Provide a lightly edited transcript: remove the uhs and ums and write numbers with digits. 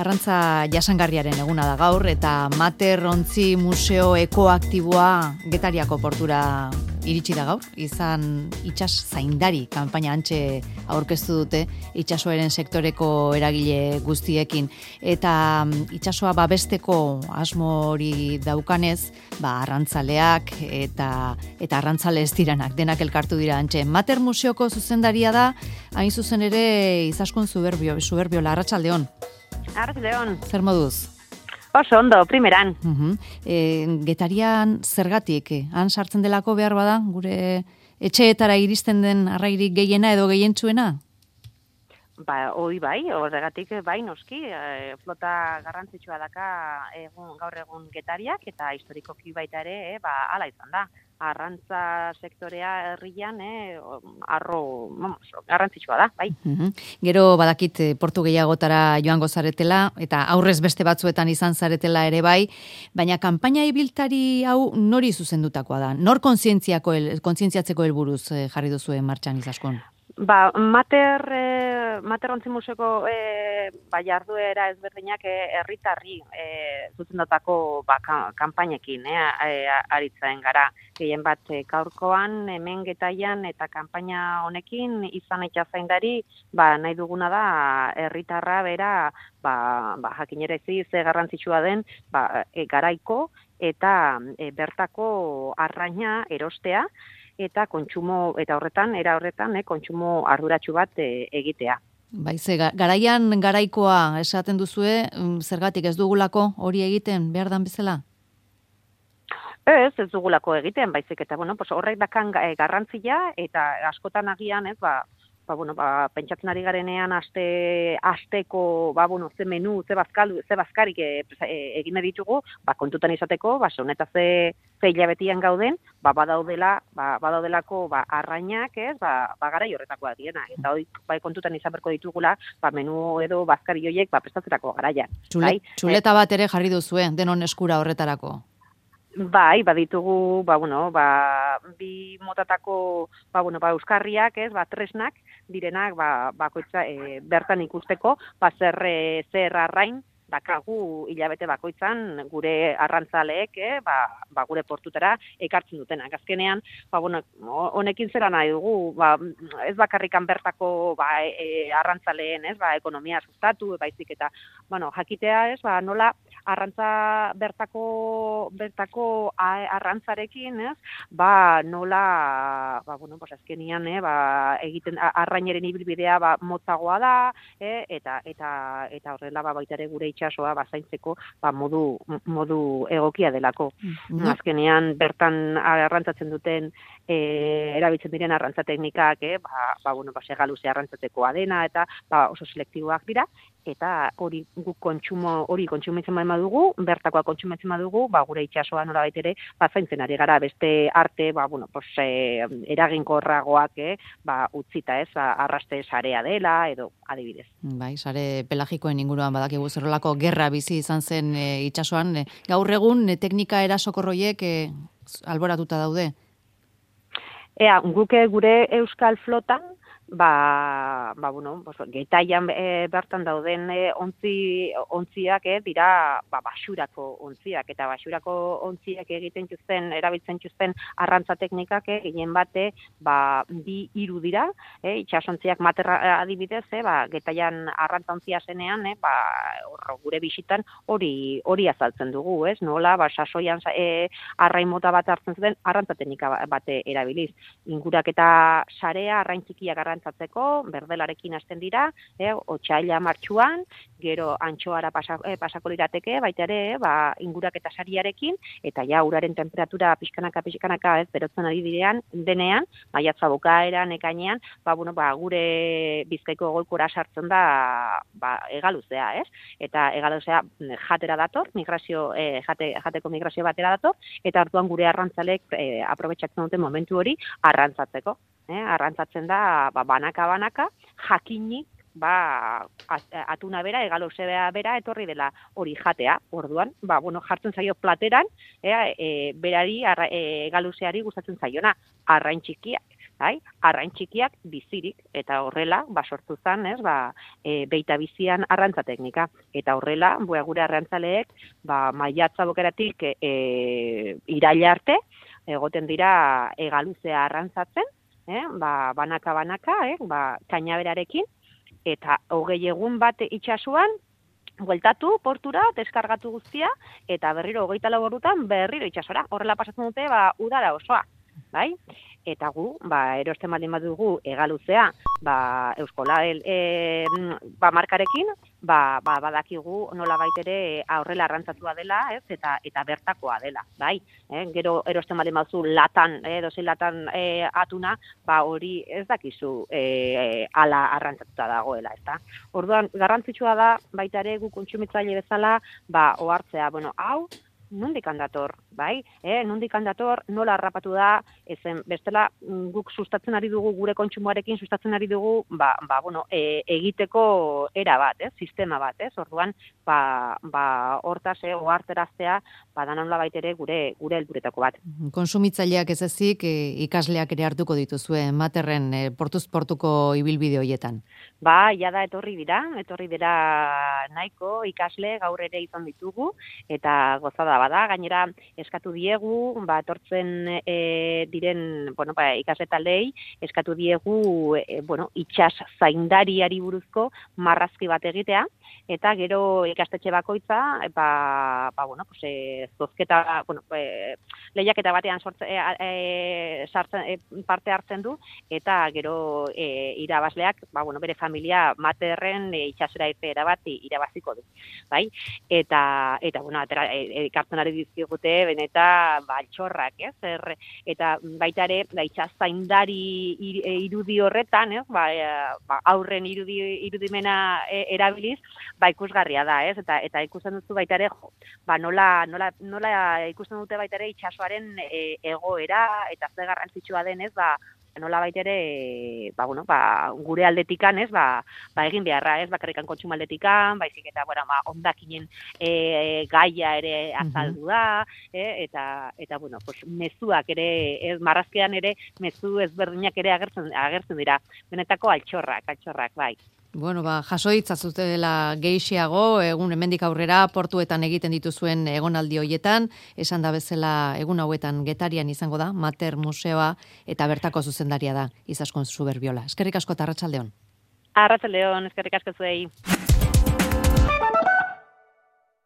Arrantza jasangarriaren eguna da gaur eta Mater Ontzi Museo Ekoaktiboa Getariako portura iritsi da gaur. Izan itsas zaindari kanpaina antxe aurkeztu dute itsasoaren sektoreko eragile guztiekin eta itsasoa babesteko asmo hori daukanez, arrantzaleak eta arrantzale ez diranak denak elkartu dira antxe. Mater Museoko zuzendaria da, hain zuzen ere Izaskun Zuberbiola, arratsaldeon. Arratsaldeon. Zer moduz? Oso ondo, primeran. Getarian zergatik, han sartzen delako behar bada, gure etxeetara iristen den arrairik gehiena edo gehientsuena? Hoi bai, horregatik bai noski, flota garrantzitsua daka gaur egun Getariak eta historikoki baita ere, hala izan da. Arrantza sektorea herrian garrantzitsua da, bai. Gero badakit portu gehiagotara joango zaretela eta aurrez beste batzuetan izan zaretela ere bai, baina kanpaina ibiltari hau nori zuzendutakoa da? Nor kontzientziatzeko helburuz jarri duzue martxan Izaskun? Mater Ontzi Museoko jarduera ezberdinak herritarri zuzendutako kanpainekin aritzen gara. Gehien bat gaurkoan hemen Getaian eta kanpaina honekin izan itsazaindari nahi duguna da herritarra bera jakinerazi ze garrantzitsua den garaiko eta bertako arraina erostea eta kontsumo eta era horretan kontsumo arduratsu bat egitea. Ze garaian garaikoa esaten duzue, zergatik ez dugulako hori egiten behar dan bezala? Ez dugulako egiten, baizik eta horrek dakan garrantzia eta askotan agian pentsatzen ari garenean asteko ze menu, ze bazkarik egin ditugu, kontutan izateko, honetaz ze hilabetian gauden, badaudelako arrainak, garai horretakoak diena. Eta hori kontutan izan berko ditugula, menu edo bazkari horiek prestatzerako garaian. Txuleta bat ere jarri duzue, denon eskura horretarako. Bai, baditugu, bi motatako, euskarriak, tresnak, direnak, bakoitza, bertan ikusteko, zer arrain, dakagu hilabete bakoitzan gure arrantzaleek, gure portutara ekartzen dutenak. Azkenean, honekin zera nahi dugu, ez bakarrikan bertako arrantzaleen, ekonomia sustatu, baizik eta, jakitea, nola arrantza bertako arrantzarekin, nola, azkenean, egiten arraineren ibilbidea motzagoa da, eta horrela baita ere gure itsasoa zaintzeko modu egokia delako. Azkenean bertan arrantzatzen duten erabiltzen diren arrantza teknikak segaluze arrantzatekoa dena eta oso selektiboak dira eta hori kontsumitzen badugu, bertakoa kontsumitzen badugu, gure itsasoa nolabait ere zaintzen ari gara beste arte eraginkorragoak utzita arraste sarea dela edo adibidez. Bai, sare pelagikoen inguruan badakigu zerrolako gerra bizi izan zen itsasoan, gaur egun teknika erasokorroiek alboratuta daude. Guk gure euskal flotan Getaian bertan dauden ontziak dira basurako ontziak eta basurako ontziak erabiltzen txuzten arrantza teknikak gehien bate 2-3 dira, itsasontziak Materra adibidez, Getaian arrantza ontzia zenean, gure bisitan hori azaltzen dugu, nola sasoian arrain mota bat hartzen zuten arrantza teknika bate erabiliz. Ingurak eta sarea arrain txikiak arrantzatzeko, berdelarekin hasten dira, otsaila martxuan, gero antxoara pasako lirateke, baita ere, ingurak eta sariarekin, eta uraren temperatura pixkanaka berotzen ari denean, maiatza bukaeran, ekainean, gure Bizkaiko golkora sartzen da egaluzea, eta egaluzea jatera dator, jateko migrazio batera dator, eta hartuan gure arrantzalek aprobetxatzen duten momentu hori arrantzatzeko. Arrantzatzen da banaka, jakinik atuna bera, egaluzea bera etorri dela hori jatea. Orduan, jartzen zaio plateran, berari egaluzeari gustatzen zaiona, arrain txikiak. arrain txikiak bizirik, eta horrela, sortu zen, beita bizian arrantza teknika. Eta horrela, gure arrantzaleek, maiatza bokeratik iraila arte, egoten dira egaluzea arrantzatzen, banaka-banaka, kainaberarekin, eta 20 egun bat itxasuan, bueltatu portura, deskargatu guztia, eta berriro 24 ordutan berriro itxasora. Horrela pasatzen dute, udara osoa, bai? Eta gu, erosten baldin badugu egaluzea, Euskola markarekin, badakigu nola baitere horrela arrantzatua dela, eta bertakoa dela, bai? Gero erosten baldin baduzu latan, dozein latan atuna, hori ez dakizu ala arrantzatuta dagoela, ezta? Orduan, garrantzitsua da, baita ere gu kontsumitzaile bezala, ohartzea, hau, nondik handator, bai? Nondik handator, nola harrapatu da, bestela guk sustatzen ari dugu, gure kontsumoarekin sustatzen ari dugu, egiteko era bat, sistema bat, orduan, hortaz, oharteraztea, nola baitere gure helburetako bat. Konsumitzaileak ez ezik, ikasleak ere hartuko dituzue, Materren portuz portuko ibilbide horietan. Jada etorri dira nahiko ikasle gaur ere izan ditugu, eta gozada bada, gainera eskatu diegu, etortzen diren, ikasle taldei, eskatu diegu, itxas zaindariari buruzko marrazki bat egitea, eta gero ikastetxe bakoitza, zozketa, lehiaketa batean parte hartzen du, eta gero irabazleak, bere familia Materren itxasera irteera bat irabaziko du, bai? Eta ikartzen ari dizkigute, benetan, altxorrak, eta baita ere, itxas zaindari irudi horretan, aurren irudimena erabiliz, ikusgarria da, eta ikusten duzu baita ere, nola ikusten dute baita ere itxasoaren egoera, eta ze garrantzitsua denez, nola baitere, gure aldetikan, egin beharra, bakarrikan kontsumo aldetikan, baizik eta, ondakinen gaia ere azaldu da, eta mezuak ere, marrazkean ere, mezu ezberdinak ere agertzen dira. Benetako altxorrak, bai. Jaso itzazutela gehiago, egun hemendik aurrera portuetan egiten dituzuen egonaldi hoietan, esan da bezala egun hauetan Getarian izango da, Mater Museoa, eta bertako zuzendaria da, Izaskun Zuberbiola. Eskerrik asko eta arratsaldeon. Arratsaldeon, eskerrik asko zuei.